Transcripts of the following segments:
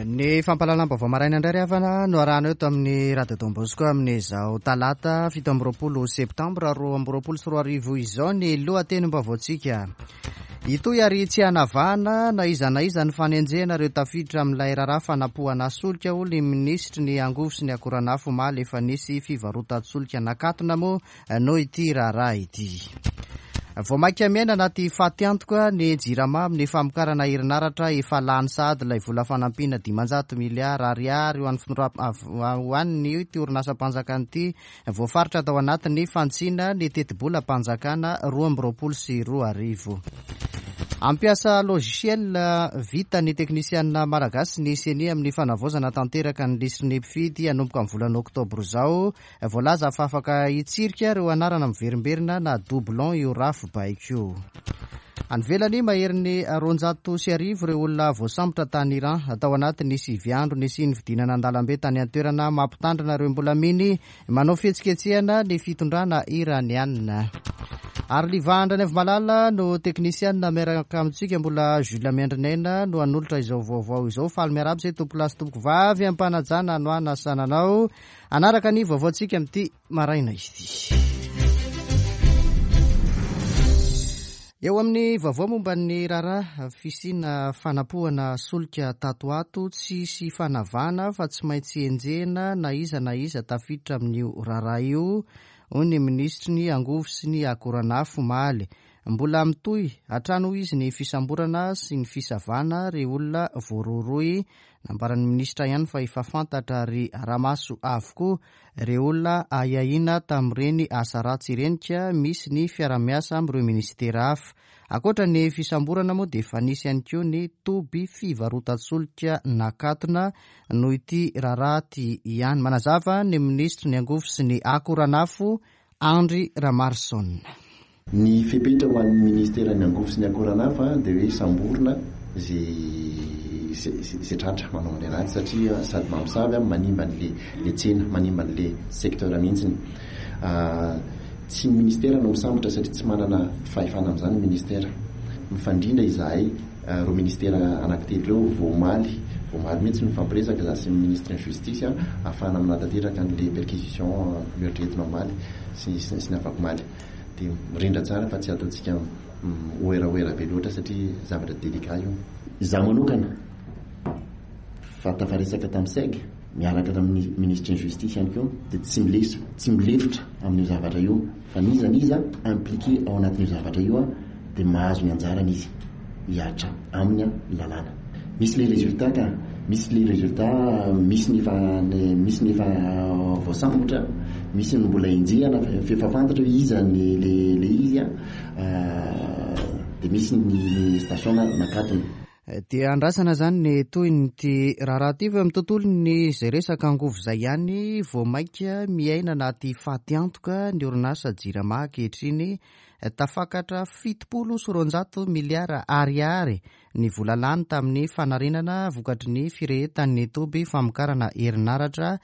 Ny fampahalalam-baovao maraina indray ry havana no arahana eto amin'ny Radio Don Bosco amin'izao talata 27 septambra 2022 izao ny lohatenim-baovaontsika. Hitohy ary tsy hanavahana na iza na iza ny fanenjehana ireo tafiditra amin'ilay raharaha fanapohana solika hoy ny minisitry ny angovo sy ny akoranafo omaly efa nisy fivarotan-tsolika nakatona moa noho ity raharaha ity. Vao mainka miaina anaty fatiantoka ny Jirama amin'ny famokarana herinaratra efa lany sahady ilay vola fanampiana 500 miliara ariary ho an'ny ho an'ity orinasam-panjakana ity voafaritra tao anatin'ny fantsina ny tetibolam-panjakana 2022. Hampiasa logiciel vita ny teknisianina malagasy ny Ceni amin'ny fanavaozana tanteraka ny lisitry ny mpifidy hanomboka amin'ny volana oktobra izao. Voalaza fa afaka hitsirika ireo anarana miverimberina na doublon io rafi-baiko io. Any ivelany, maherin'ny 1200 ireo olona voasambotra tany Iran tao anatin'ny sivy andro nisian'ny fidinana an-dalambe tany an-toerana mampitandrina ireo mbola miny manao fihetsiketsehana ny fitondrana iraniana. Ary Liva Andrianaivomalala no teknisianina miaraka amintsika, mbola Jules Miandrinaina no hanolotra izao vaovao izao. Faly miarahaba izay tompolahy sy tompokovavy am-panajana no hanasana anao. Hanaraka ny vaovaontsika amin'ity maraina ity. Eo amin'ny vaovao momba ny raharaha fisiana fanapohana solika tato ato, tsy hisy fanavahana fa tsy maintsy enjehina na iza na iza tafiditra amin'io raharaha io, hoy ny minisitry ny angovo sy ny akoranafo omaly. Mbola mitohy hatrany hoy izy ny fisamborana sy ny fisavana ireo olona voarohirohy Nambaran'ny minisitra ihany fa efa fantatra ary ara-maso avokoa ireo olona ahiahiana tamin'ireny asa ratsy ireny ka misy ny fiara-miasa amin'ireo minisitera hafa. Ankoatra ny fisamborana moa dia efa nisy ihany koa ny toby fivarotan-tsolika nakatona noho ity raharaha ity ihany. Manazava ny minisitry ny angovo sy ny akoranafo Andry Ramarson. Ny fepetra ho an'ny ministeran'ny angovo sy ny akoran'hafa dia hoe samborina izay tratra manao an'ilay ratsy satria sady mamosavy manimba an'ilay tsena, manimba an'ilay secteur mihitsy. Tsy ny ministera no misambotra satria tsy manana fahefana amin'izany ny ministera. Mifandrindra izahay ireo ministera anankitelo ireo vao omaly, vao omaly mihitsy nifampiresaka izaho sy ny ministry ny justice ahafahana manatanteraka an'ilay perquisition noeritreretina omaly sy ny afakomaly. Dia mirindra tsara fa tsy ataontsika mihoerahoera be loatra satria zavatra délicat io. Izaho manokana fa tafaresaka tamin'ny seg miaraka tamin'ny minisitry ny justice ihany koa dia tsy milefitra, tsy milefitra amin'io zavatra io fa n'iza n'iza impliqué ao anatin'io zavatra io dia mahazo ny anjarany izy hihatra aminy ny lalàna. Misy le résultat ka, misy le résultat, misy ny efa misy ny efa voasambotra, misy ny mbola enjehina fa efa fantatra hoe iza ny le le izy an, dia misy ny station nakatona. Dia andrasana izany ny tohin'ity raharaha ity fa eo amin'ny tontolon'ny izay resaka angovo izay ihany vao mainka miaina anaty fatiantoka ny orinasa Jirama ankehitriny tafakatra 270 miliara ariary ny vola lany tamin'ny fanarenana vokatry ny firehetan'ny toby famokarana herinaratra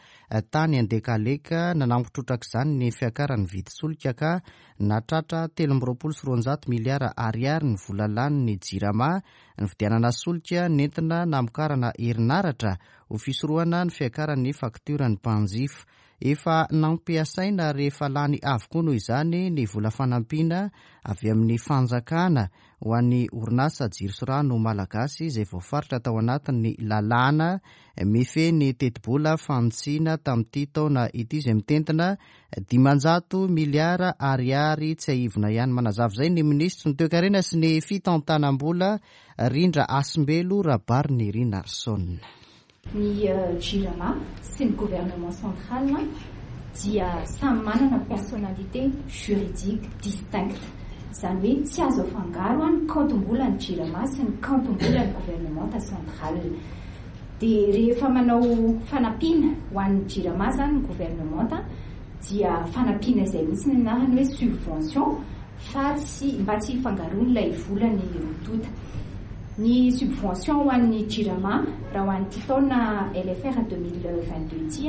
tany Andekaleka nanampy trotraka izany ny fiakaran'ny vidin-tsolika ka nahatratra 223 miliara ariary ny vola lanin'ny Jirama nividianana solika nentina namokarana herinaratra ho fisorohana ny fiakaran'ny faktioran'ny mpanjifa. Efa nampiasaina ary efa lany avokoa noho izany ny vola fanampiana avy amin'ny fanjakana ho an'ny orinasa Jiro sy Rano Malagasy izay voafaritra tao anatin'ny lalàna mifehy ny tetibola fanitsiana tamin'ity taona ity izay mitentina 500 miliara ariary tsiahivina ihany. Manazava izay ny minisitry ny toekarena sy ny fitantanam-bola Rindra Hasimbelo Rabarinirinarison. Ny Jirama sy ny gouvernement central dia samy manana personnalité juridique distincte. Izany hoe tsy azo afangaro ny kaontim-bolan'ny Jirama sy ny kaontim-bolan'ny gouvernementa central. Dia rehefa manao fanampiana ho an'ny Jirama izany ny gouvernementa dia fanampiana izay mihitsy ny anarany hoe subvention fa tsy mba tsy hifangaroan'ilay vola ny roa tonta. Ny subvention ho an'ny Jirama raha ho an'ity taona LFR 2022 ity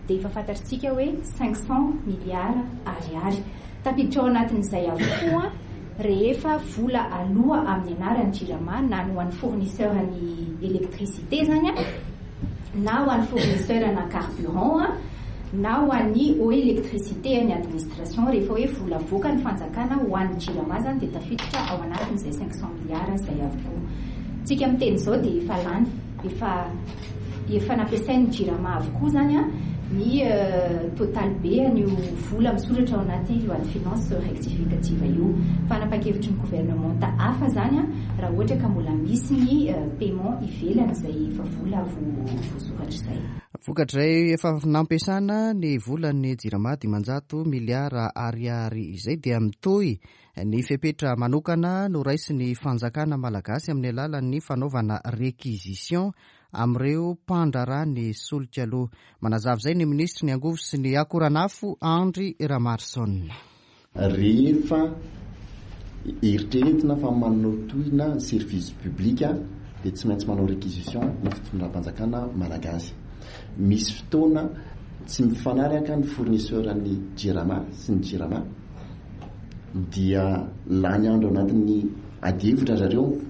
dia efa fantatritsika hoe 500 milliards ariary. Tafiditra ao anatin'izay avokoa rehefa vola aloa amin'ny anaran'ny Jirama na ny ho an'ny fournisseur ny électricité izany. Na ho an'ny fournisseur ana carburant na ho an'ny eau électricité an'ny administration, rehefa hoe vola avoaka ny fanjakana ho an'ny Jirama izany dia tafiditra ao anatin'izay 500 milliards izay avokoa. Tsika miteny izao dia efa lany, efa efa nampiasain'ny Jirama avokoa izany ny total be an'io vola misoratra ao anaty loi de finance rectificative io. Fanapahan-kevitry ny gouvernementa hafa izany raha ohatra ka mbola misy ny paiement ivelany izay efa vola voasoratra izay. Vokatr'izay efa nampiasana ny volan'ny Jirama 500 miliara ariary izay dia mitohy ny fepetra manokana noraisin'ny fanjakana malagasy amin'ny alalan'ny fanaovana réquisition amin'ireo mpandraharaha ny solika aloha. Manazava izay ny minisitry ny angovo sy ny akoranafo Andry Ramarson. Rehefa eritreretina fa manao tohina ny service public dia tsy maintsy manao réquisition ny fitondram-panjakana malagasy. Misy fotoana tsy mifanaraka ny fournisseur ny Jirama sy ny Jirama dia lany andro anatin'ny adihevitra zareo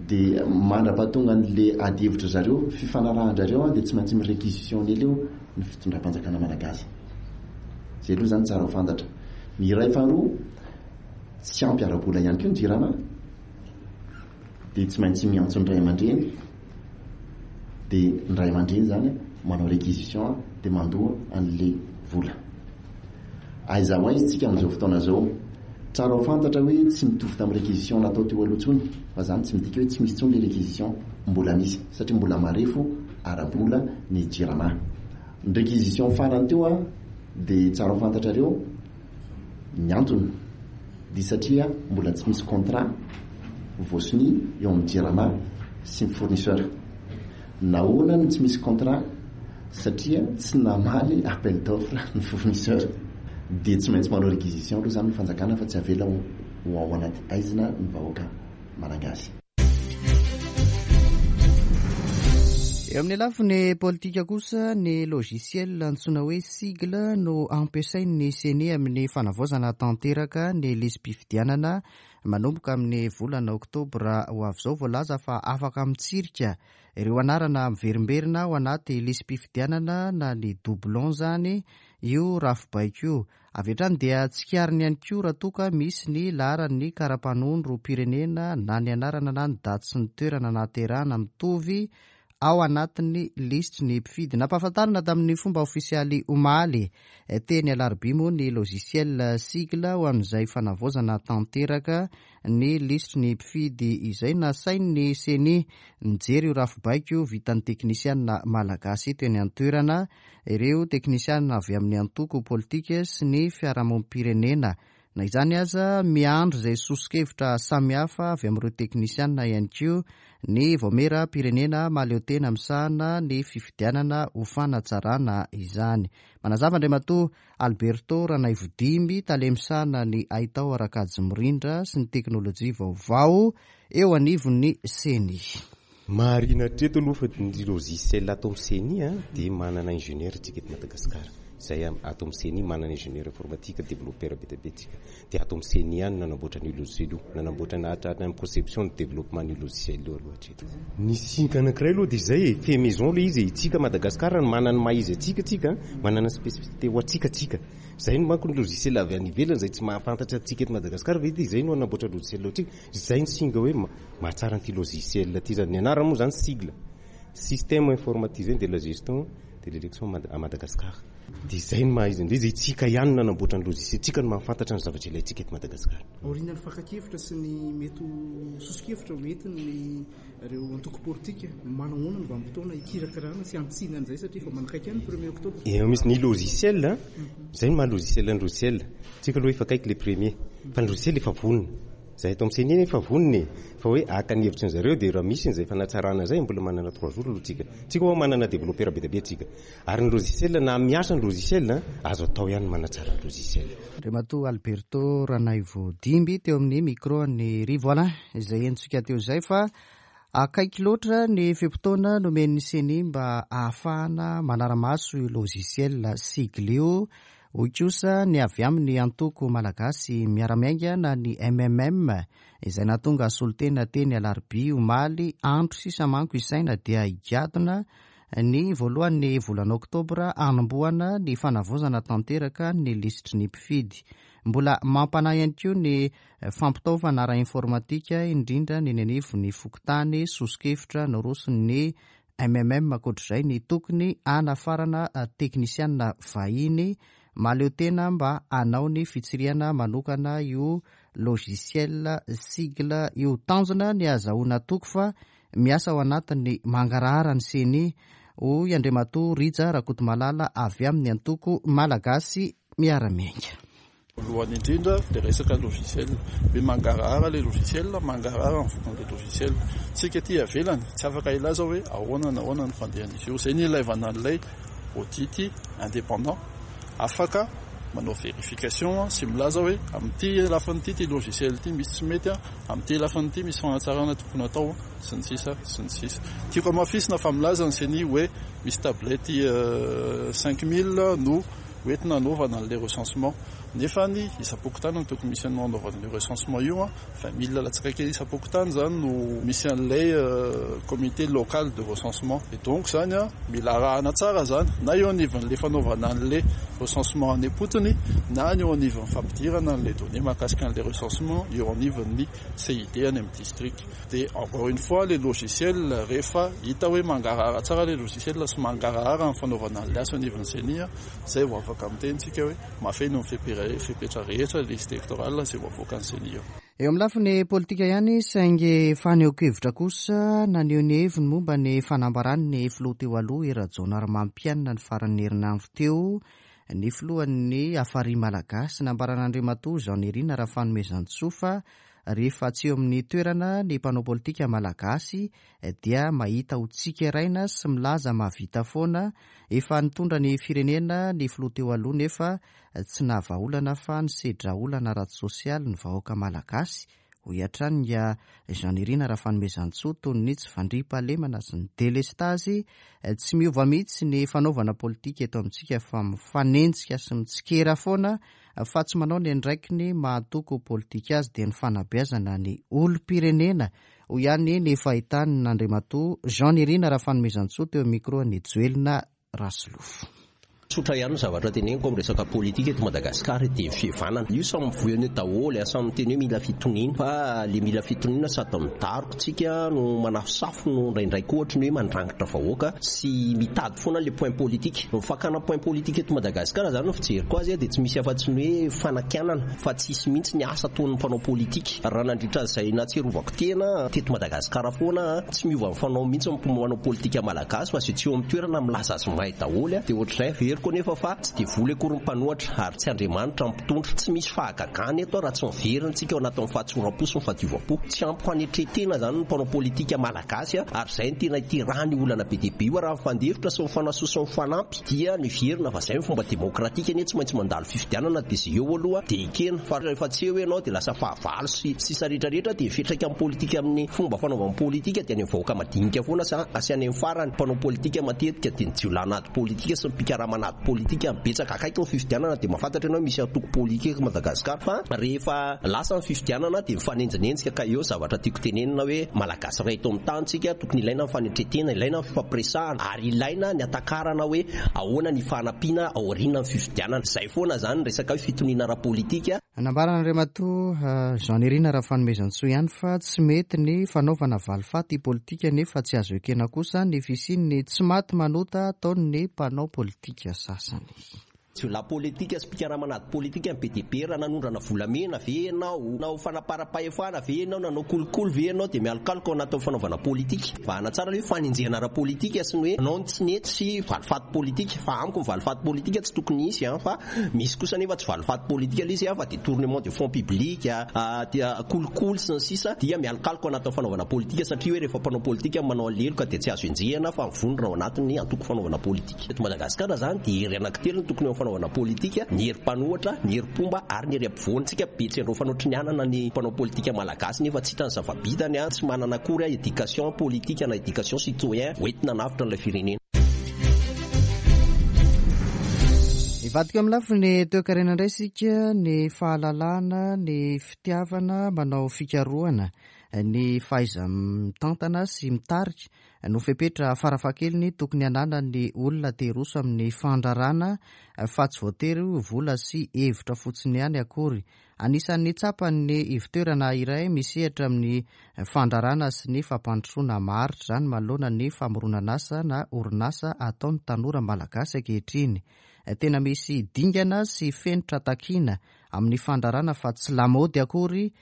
dia mandra-pahatonga an'le adihevitra zareo, fifanarahan-drareo dia tsy maintsy mi-réquisitionner leo ny fitondram-panjakana malagasy. Zay aloha zany tsara ho fantatra. Ny iray faharoa, tsy ampy ara-bola ihany koa ny Jirama dia tsy maintsy miantso ny ray aman-dreny, dia ny ray aman-dreny zany manao réquisition dia mandoa an'le vola. Aiza ho aiza tsika amin'izao fotoana izao? Tsara ho fantatra hoe tsy mitovy tamin'ny réquisition natao teo aloha intsony, fa zany tsy midika hoe tsy misy intsony le réquisition, mbola misy satria mbola marefo ara-bola ny Jirama. Ny réquisition farany teo dia tsara ho fantatrareo ny antony dia satria mbola tsy misy contrat voasonia eo amin'ny Jirama sy ny fournisseur. Nahoana no tsy misy contrat? Satria tsy namaly appel d'offre ny fournisseur. Dia tsy maintsy manao réquisition aloha izany ny fanjakana fa tsy avela ho ao anaty haizina ny vahoaka malagasy. Eo amin'ny lafiny politika kosa, ny logiciel antsoina hoe sigle no ampiasain'ny Ceni amin'ny fanavaozana tanteraka ny lisi-pifidianana manomboka amin'ny volana oktobra ho avy izao. Voalaza fa afaka mitsirika ireo anarana miverimberina ao anaty lisi-pifidianana na ny doublon izany io rafi-baiko io. Avy hatrany dia tsikariny ihany koa raha toa ka misy ny laharan'ny kara-panondrom-pirenena na ny anarana na ny daty sy ny toerana nahaterahana mitovy ao anatin'ny lisitry ny mpifidy. Nampahafantarina tamin'ny fomba ofisialy omaly teny Alarobia moa ny logiciel sigle ho amin'izay fanavaozana tanteraka ny lisitry ny mpifidy izay. Nasain'ny Ceni nijery io rafi-baiko vitan'ny teknisiana malagasy eto eny an-toerana ireo teknisiana avy amin'ny antoko politika sy ny fiarahamonim-pirenena. Na izany aza, miandry izay soso-kevitra samihafa avy amin'ireo teknisiana ihany koa ny Vaomieram-pirenena mahaleotena misahana ny fifidianana ho fanatsarana izany. Manazava Andriamatoa Alberto Ranaivodimby, tale misahana ny haitao ara-kajy mirindra sy ny teknolojia vaovao eo anivon'ny Ceni. Marihina hatreto aloha fa ny logiciel ato amin'ny Ceni dia manana ingénieur tsika eto Madagasikara. Izay ato amin'ny Ceni manana ingénieur informatique, développeur be dia be tsika. Dia ato amin'ny Ceni ihany no nanamboatra an'io logiciel io. Nanamboatra na hatrany amin'ny conception ny développement an'io logiciel io aloha hatreto. Ny singa anankiray aloha dia izay e, fait maison ilay izy e. Itsika Madagasikara no manana ny maha izy antsika tsika, manana spécificité ho antsika tsika. Izay no manko ny logiciel avy any ivelany izay tsy mahafantatra antsika eto Madagasikara ve dia izay no hanamboatra logiciel ho antsika. Izay ny singa hoe mahatsara an'ity logiciel ity zany. Ny anarany moa zany sigle, Système informatisé de la gestion de l'élection à Madagascar. Dia izay no maha izy an'ilay izy, isika ihany no nanamboatra ny logiciel, tsika no mahafantatra ny zavatra ilaintsika eto Madagasikara. Aorian'ny fakan-kevitra sy ny mety ho soso-kevitra ho entin'ireo antoko politika, manahoana ny vanim-potoana hikirakirana sy hantsina an'izay satria efa manakaiky ihany ny premier octobre? Eo misy ny logiciel, izay no maha logiciel ny logiciel. Tsika aloha efa akaiky le premier, fa ny logiciel efa vonona. Zahay eto amin'ny CENI efa vonona e! Fa hoe haka ny hevitry ny zareo dia raha misy an'izay fanatsarana izay mbola manana trois jours aloha tsika. Tsika ho'a manana développeur be dia be tsika. Ary ny logiciel na miasa ny logiciel azo atao ihany ny manatsara ny logiciel. Andriamatoa Alberto Ranaivo Dimby teo amin'ny micro an'i Rivo Alain izay henontsika teo izay fa akaiky loatra ny fe-potoana nomen'ny CENI mba ahafahana manara-maso io logiciel sigle io. Hoy kosa ny avy amin'ny antoko Malagasy Miara-Miainga na ny MMM izay nahatonga solontena teny Alarobia omaly, andro sisa manko isaina dia higadona. ny voalohan'ny volana oktobra hanombohana ny fanavaozana tanteraka ny lisitry ny mpifidy. Mbola mampanahy ihany koa ny fampitaovana ara-informatika indrindra ny eny anivon'ny fokontany, soso-kevitra noroson'ny MMM ankoatr'izay ny tokony hanafarana teknisianina vahiny mahaleo tena mba hanao ny fitsirihana manokana io logiciel sigle io. Tanjona ny hahazahoana toky fa miasa ao anatin'ny mangarahara ny Ceni, hoy Andriamatoa Rija Rakotomalala avy amin'ny antoko Malagasy Miara-Miainga. Voalohany indrindra dia resaka logiciel. Hoe mangarahara ilay logiciel, mangarahara ny vokan'ilay logiciel. Tsika aty ivelany tsy afaka hilaza hoe ahoana na ahoana ny fandehan'izy io. Izay no ilaivana an'ilay audit indépendant. Afaka manao vérification sy milaza hoe amin'ity lafiny ity, ity logiciel ity misy tsy mety, amin'ity lafiny ity misy fanatsarana tokony hatao sy ny sisa sy ny sisa. Tiako hamafisina fa milaza ny ceni hoe misy tablette 5000 no hoentina hanaovana an'ilay recensement. Nefa ny isam-pokontany no tokony misy an'io hanaovana an'io recensement io an, 20000 latsaka kely isam-pokontany izany no misy an'ilay comité local de recensement. Et donc izany an, mila arahana tsara izany, na eo anivon'ilay fanaovana an'ilay recensement any am-potony, na ny eo anivon'ny fampidirana an'ilay données mahakasika an'ilay recensement eo anivon'ny CID any amin'ny district. Dia encore une fois ilay logiciel rehefa hita hoe mangarahara tsara ilay logiciel sy mangarahara ny fanaovana an'ilay asa eo anivon'ny ceni, izay vao afaka miteny isika hoe mahafeno ny fepetra rehetra ilay liste électorale izay vao avoakan'ny ceni eo. Eo amin'ny lafiny politika ihany saingy fanehoan-kevitra kosa naneho ny heviny momba ny fanambaran'ny filoha teo aloha Hery Rajaonarimampianina ny faran'ny herinandro teo ny filohan'ny Hafari Malagasy. Nambaran'Andriamatoa Jean Nirina Rafanomezantsoa fa Rehefa tsy eo amin'ny toerana ny mpanao politika malagasy dia mahita ho tsikeraina sy milaza mahavita foana. Efa nitondra ny firenena ny filoha teo aloha nefa tsy nahavaolana fa nisedra olana ara-tsosialy ny vahoaka malagasy, hoy hatrany Nga Jean Nirina Rafanomezantsoa toy ny tsy fandriampahalemana sy ny delestazy. Tsy miova mihitsy ny fanaovana politika eto amintsika fa mifanenjika sy mitsikera foana fa tsy manao ny andraikiny maha antoko politika azy dia ny fanabeazana ny olom-pirenena, hoy ihany ny fahitan'Andriamatoa Jean Nirina Rafanomezantsoa teo amin'ny micro an'i Joelina Rasolofo. Tsotra ihany ny zavatra teneniko amin'ny resaka politika eto Madagasikara dia ny fihevanana. Io samy mivoy an'io daholo, samy miteny hoe mila fitoniana. Fa le mila fitoniana sady midaroka tsika no manafosafo no indraindray koa ohatry ny hoe mandrangitra vahoaka sy mitady foana le point politique. Ny fakana point politique eto Madagasikara zany ny fijeriko azy dia tsy misy afa-tsy ny hoe fanakianana fa tsisy mihitsy ny asa ataon'ny mpanao politique. Raha nandritra izay nahatsiarovako tena teto Madagasikara foana tsy miova ny fanao mihitsy ny mpanao politika malagasy fa izay tsy eo amin'ny toerana milaza azy mahay daholo dia ohatr'izay. Averiko anefa fa tsy devoly akory ny mpanohatra ary tsy Andriamanitra ny mpitondra. Tsy misy fahagagana eto raha tsy miverina tsika ao anatin'ny fahatsoram-po sy ny fahadiovam-po. Tsy ampy fanetren-tena izany ny mpanao politika malagasy ary izay no tena iterahany io olana be dia be io. Raha mifandefitra sy mifanasoa sy mifanampy dia miverina fa izay ny fomba demokratika anie tsy maintsy mandalo fifidianana dia izay eo aloha dia ekena fa rehefa tsy eo ianao dia lasa fahavalo sy sisa rehetra rehetra dia fiantraika amin'ny politika amin'ny fomba fanaovana politika dia any amin'ny vahoaka madinika foana sy any amin'ny farany mpanao politika matetika dia ny jiolahy politika sy ny mpikarama an'ady politika betsaka akaiky ny fifidianana dia mahafantatra ianao hoe misy antoko politika eto Madagascar fa rehefa lasa ny fifidianana dia mifanenjinenjika ka eo zavatra tiako tenenina hoe Malagasy iray eto amin'ny tany tsika tokony ilaina ny fanetretena ilaina ny fifampiresahana ary ilaina ny hatakarana hoe ahoana ny fanampiana aoriana ny fifidianana izay foana zany resaka hoe fitoniana ara-politika. Nambaran'Andriamatoa Jean Nirina Rafanomezantsoa ihany fa tsy mety ny fanaovana valifaty politika nefa tsy azo ekena kosa ny fisian'ny tsy maty manota ataon'ny mpanao politika sasany. Jiolahy politika sy mpikarama an'ady politika ny be dia be, raha nanondrana volamena ve ianao, nanao fanaparam-pahefana ve ianao, nanao kolikoly ve ianao dia mialokaloka ao anatin'ny fanaovana politika. Vahana tsara ilay hoe fanenjehana ara-politika sy ny hoe nanao ny tsy nety sy valifaty politika fa amiko ny valifaty politika tsy tokony hisy an fa Misy kosa anefa tsy valifaty politika ilay izy fa détournement de fonds public, kolikoly sy ny sisa dia mialokaloka ao anatin'ny fanaovana politika satria hoe rehefa mpanao politika no manao aleloka dia tsy azo enjehina fa mivondrona ao anatin'ny antoko fanaovana politika. Eto Madagasikara izany dia hery anankitelo no tokony eo amin'ny fanaovana politika, ny hery mpanohatra, ny hery mpomba ary ny hery ampovoany. Tsika be tsy andraofana ohatry ny anana ny mpanao politika malagasy nefa tsy hita ny zava-bitany, tsy manana akory éducation politique na éducation citoyen hoentina hanavotra an'ilay firenena. Hivadika amin'ny lafiny toekarena indray isika, ny fahalalana, ny fitiavana manao fikarohana, ny fahaiza-mitantana sy mitarika. no fepetra farafahakeliny tokony hananan'ny olona te hiroso amin'ny fandrarana fa tsy voatery ho vola sy hevitra fotsiny ihany akory. Anisan'ny tsapan'ny ivontoerana iray misehatra amin'ny fandrarana sy ny fampandrosoana maharitra izany manoloana ny famoronan'asa na orinasa ataon'ny tanora malagasy ankehitriny. Tena misy dingana sy fenitra takiana amin'ny fandrarana fa tsy lamaody akory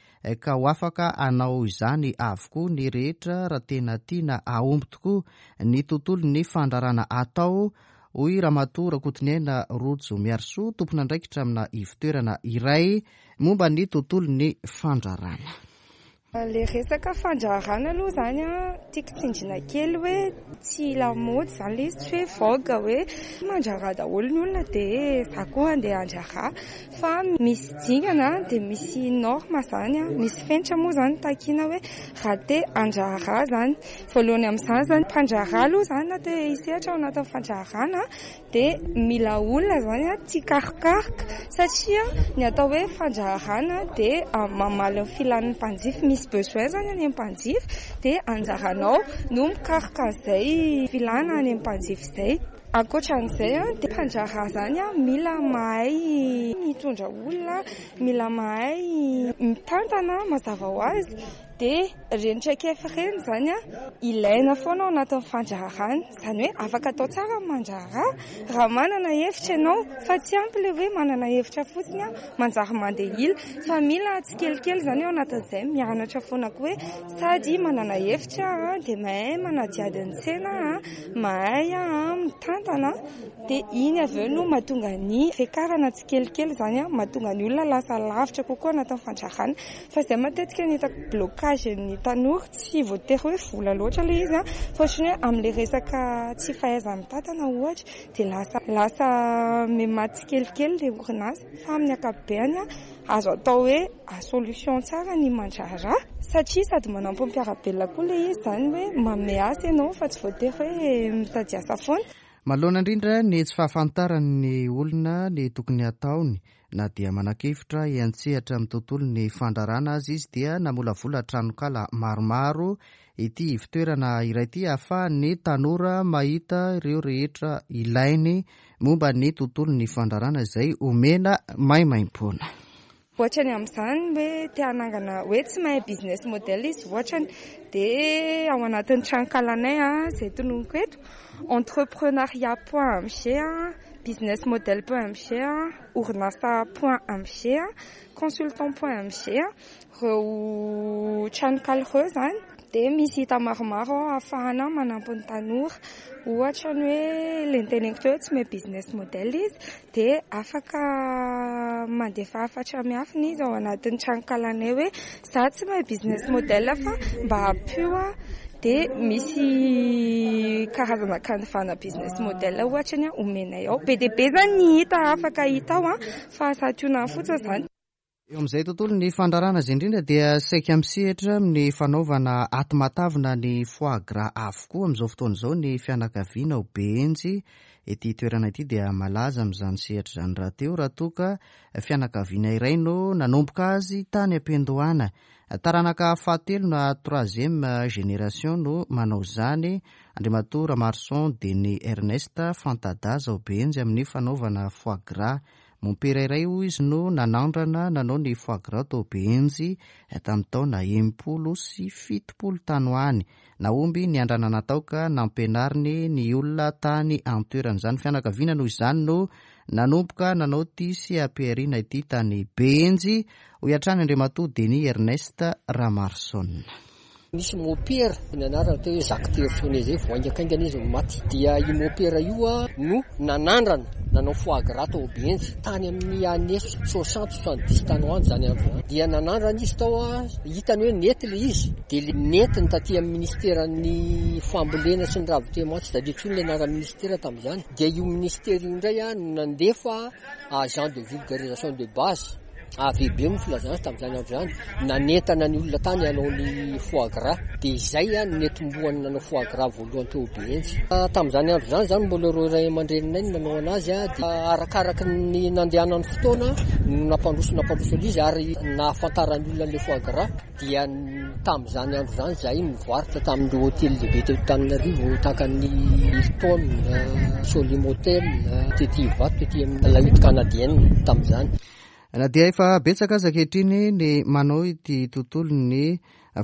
ka ho afaka hanao izany avokoa ny rehetra raha tena tiana hahomby tokoa ny tontolon'ny fandrarana atao, hoy Ramatoa Rakotoniaina Rojo Miarisoa, tompon'andraikitra amina ivontoerana iray momba ny tontolon'ny fandrarana. Ilay resaka fandraharana aloha izany an, tiako tsindriana kely hoe tsy lamaody izany ilay izy, tsy hoe vogue hoe mandraharaha daholo ny olona dia za koa andeha handraharaha fa misy dingana dia misy norme izany an, misy fenitra moa izany takiana hoe raha te handraharaha izany. Voalohany amin'izany izany, mpandraharaha aloha izany na te hisehatra ao anatin'ny fandraharahana Dia mila olona izany tia karokaroka satria ny atao hoe fandraharahana dia mamaly ny filan'ny mpanjifa, misy besoin izany any amin'ny mpanjifa dia anjaranao no mikaroka an'izay filana any amin'ny mpanjifa izay. Ankoatra an'izay dia mpandraharaha izany mila mahay mitondra olona, mila mahay mitantana mazava ho azy. Dia ireny traikefa ireny izany ilaina foana ao anatin'ny fandraharahana. Izany hoe afaka atao tsara ny mandraharaha raha manana hevitra ianao fa tsy ampy ilay hoe manana hevitra fotsiny manjary mandeha ila fa mila tsikelikely izany ao anatin'izay mianatra foana koa hoe sady manana hevitra dia mahay manadihady ny tsena, mahay mitantana dia iny avy eo no mahatonga ny fiakarana tsikelikely izany, mahatonga ny olona lasa lavitra kokoa anatin'ny fandraharahana. Fa izay matetika ny hitako blocage ny tanora, tsy voatery hoe vola loatra ilay izy an, fa ohatran'ny hoe amin'ilay resaka tsy fahaiza-mitantana ohatra dia lasa lasa miha-maty tsikelikely ilay orinasa. Fa amin'ny ankapobeny an, azo atao hoe solution tsara ny mandraharaha satria sady manampy ny mpiara-belona koa ilay izy izany hoe manome asa ianao fa tsy voatery hoe mitady asa foana. Manoloana indrindra ny tsy fahafantaran'ny olona ny tokony hataony Na dia manan-kevitra hiantsehatra amin'ny tontolon'ny fandrarana aza izy dia namolavola tranonkala maromaro ity ivontoerana iray ity ahafahan'ny tanora mahita ireo rehetra ilainy momba ny tontolon'ny fandrarana izay omena maimaimpoana. Ohatrany amin'izany hoe te hanangana hoe tsy mahay business model izy ohatrany dia ao anatin'ny tranonkalanay izay tononiko eto entrepreneuriat point mg, business model point mg, orinasa point mg, consultant point mg, ireo tranonkala ireo izany dia misy hita maromaro ao ahafahana manampy ny tanora. Ohatra ny hoe ilay noteneniko teo hoe tsy mahay business model izy dia afaka mandefa hafatra miafina izy ao anatin'ny tranonkalanay hoe za tsy mahay business model fa mba ampio aho. Dia misy karazana canevas-na business model ohatra ny omenay ao. Be dia be izany ny hita afaka hita ao fa santionany fotsiny izany. Eo amin'izay tontolon'ny fandrarana izay indrindra dia saika misehatra amin'ny fanaovana ati-matavina ny foie gras avokoa amin'izao fotoana izao ny fianakaviana ao Behenjy. Ity toerana ity dia malaza amin'izany sehatra izany rahateo raha toa ka fianakaviana iray no nanomboka azy tany am-piandohana. Taranaka fahatelo na troisième génération no manao izany, Andriamatoa Ramaroson Denis Ernest, fanta-daza ao Behenjy amin'ny fanaovana foie gras. Mompera iray hoy izy no nanandrana nanao ny foie gras tao Behenjy tamin'ny taona 70 tany ho any. Nahomby ny andrana natao ka nampianariny ny olona tany an-toerana. Izany fianakaviana noho izany no nanomboka nanao ity seha-pihariana ity tany Behenjy, hoy hatrany Andriamatoa Denis Ernest Ramarson. Nisy mopera, ny anarany atao hoe Jacques Tertionnet zay, vao haingankaingana izy no maty. Dia io mopera io no nanandrana nanao foie gras tao Behenjy, tany amin'ny années soixante, soixante dix tany ho any izany andro izany. Dia nanandrana izy tao, hitany hoe nety ilay izy, dia le nentiny taty amin'ny ministeran'ny fambolena sy ny ravin-temo, tsy tadidio intsony ilay anaran'ny ministera tamin'izany. Dia io ministera io indray no nandefa agent de vulgarisation de base. AVB moa filazana azy tamin'izany andro izany, nanentana ny olona tany hanao ny foie gras. Dia izay no netombohany nanao foie gras voalohany teo Behenjy. Tamin'izany andro izany izany mbola ireo ray aman-dreninay no nanao anazy dia arakaraky ny nandehanan'ny fotoana no nampandroso nampandroso an'izy ary nahafantaran'ny olona an'ilay foie gras. Dia tamin'izany andro izany izahay nivarotra tamin'ireo hotely lehibe teto Antananarivo tahaka ny Hilton, Solim Hotel, tety Ivato, tety amin'ny La Hutte Canadienne tamin'izany. Na dia efa betsaka aza ankehitriny ny manao ity tontolon'ny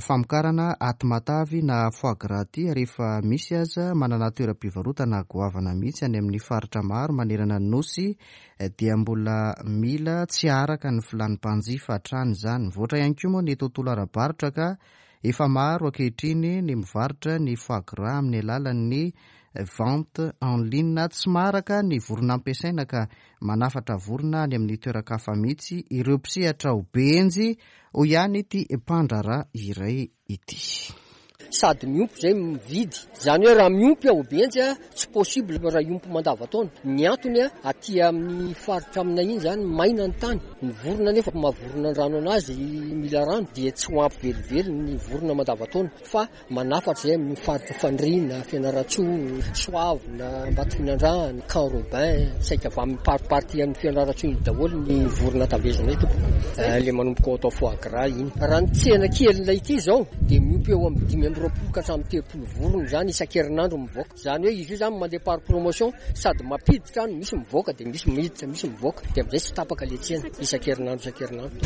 famokarana aty matavy na foie gras ity ary efa misy aza manana toeram-pivarotana goavana mihitsy any amin'ny faritra maro manerana ny Nosy dia mbola mila tsy araka ny filan'ny mpanjifa hatrany izany. Mivoatra ihany koa moa ny tontolo ara-barotra ka efa maro ankehitriny ny mivarotra ny foie gras amin'ny alalan'ny vente en ligne. Tsy maharaka ny vorona ampiasaina ka manafatra vorona any amin'ny toeran-kafa mihitsy ireo mpisehatra ao Behenjy, hoy ihany ity mpandraharaha iray ity. Sady miompy zay mividy. Zany hoe raha miompy ao Benjy tsy possible raha hiompy mandavataona. Ny antony aty amin'ny faritra aminay iny zany maina ny tany. Ny vorona nefa maha vorona an-drano anazy mila rano dia tsy ho ampy velively ny vorona mandavataona fa manafatra zay amin'ny faritra Fandriana, Fianarantsoa, Soavina, Ambatofinandrahana, Camp Robin, saika avy amin'ny party an'i Fianarantsoa iny daholo ny vorona tavezina eto. Le manomboka ao atao foie gras iny. Raha ny tsena kelinay ity izao dia miompy eo amin'ny 25 ka hatramin'ny 30 vorona izany isan-kerinandro mivoaka. Izany hoe izy io izany mandeha par promotion sady mampiditra no misy mivoaka dia misy miditra, misy mivoaka dia amin'izay tsy tapaka le tsena isan-kerinandro isan-kerinandro.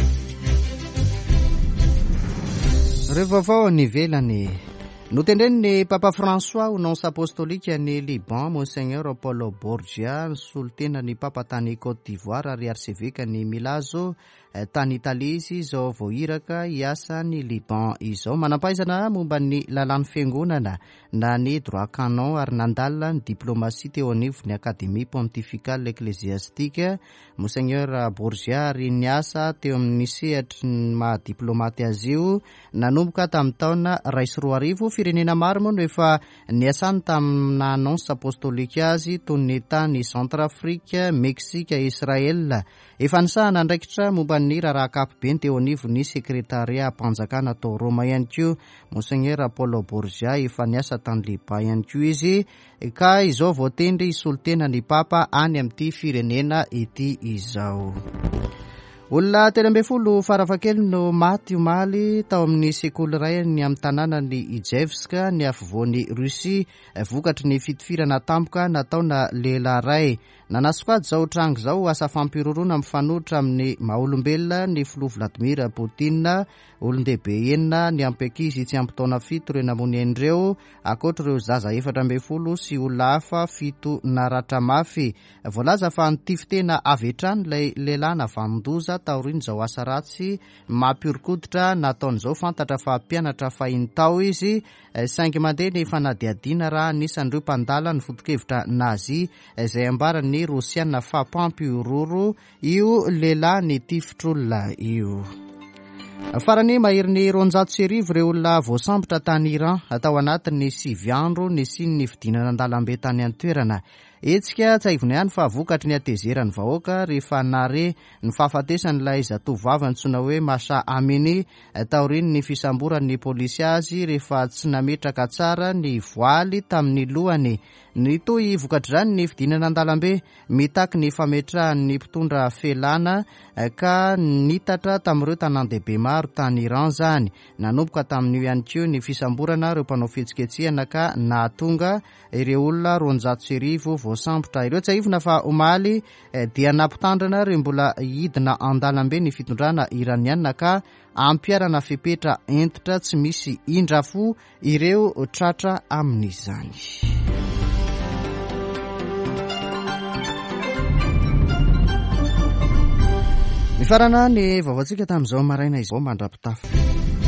Ireo vaovao any ivelany. Notendren'ny Papa François ho nonce apostolique any Liban, Monseigneur Paul Borgia, nisolo tena ny Papa tany Côte d'Ivoire ary arsevekan'i Milazzo tany Italie izy izao vao iraka hiasa any Liban izao. Manam-pahaizana momba ny lalàn'ny fiangonana na ny droit canon ary nandalina ny diplomasia teo anivon'ny Académie pontificale ecclésiastique Monseigneur Borgia ary niasa teo amin'ny sehatry ny maha diplomaty azy io Nanomboka tamin'ny taona 2001, firenena maro moa no efa niasany tamin'ny naha nonce apostolique azy toy ny tany Centrafrique, Mexique, Israël. Efa nisahana andraikitra momba ny raharaha ankapobeny teo anivon'ny sekretariam-panjakana tao Roma ihany koa Monseigneur Paul Borgia. Efa niasa tany Liban ihany koa izy ka izao voatendry hisolo tena ny Papa any amin'ity firenena ity izao. Olona 13 farafahakeliny no maty omaly tao amin'ny sekoly iray any amin'ny tanànan'i Ijevsk, ny afovoan'i Russie, vokatry ny fitifirana tampoka nataona lehilahy iray. Nanasokajy izao tranga izao ho asa fampihorohoroana mifanohitra amin'ny maha olombelona ny filoha Vladimir Poutine. Olon-dehibe enina niampy ankizy tsy ampy taona fito ireo namono aina ireo, ankoatra ireo zaza 14 sy olona hafa fito naratra mafy. Voalaza fa nitify-tena avy hatrany ilay lehilahy navanon-doza taorian'izao asa ratsy mampihoron-koditra nataony izao. Fantatra fa mpianatra fahiny tao izy, saingy mandeha ny fanadihadiana raha anisan'ireo mpandala ny foto-kevitra Nazi izay ambaran'ny Rosiana fa mpampihorohoro io lehilahy nitifitr'olona io. Farany, maherin'ny 1200 ireo olona voasambotra tany Iran tao anatin'ny sivy andro nisian'ny fidinana an-dalambe tany an-toerana. Hetsika tsiahivina ihany fa vokatry ny hatezeran'ny vahoaka rehefa nahare ny fahafatesan'ilay zatovovavy antsoina hoe Masha Amini taorian'ny fisamboran'ny polisy azy rehefa tsy nametraka tsara ny voaly tamin'ny lohany. Nitohy vokatr'izany ny fidinana an-dalambe mitaky ny fametrahan'ny mpitondra felana ka nitatra tamin'ireo tanàn-dehibe maro tany Iran izany. Nanomboka tamin'io ihany koa ny fisamborana ireo mpanao fihetsiketsehana ka nahatonga ireo olona 1200 voasambotra ireo. Tsiahivina fa omaly dia nampitandrina ireo mbola hidina an-dalambe ny fitondrana iraniana ka ampiharana fepetra hentitra tsy misy indrafo ireo tratra amin'izany. Mifarana ny vaovaontsika tamin'izao maraina izao mandra-pitafa.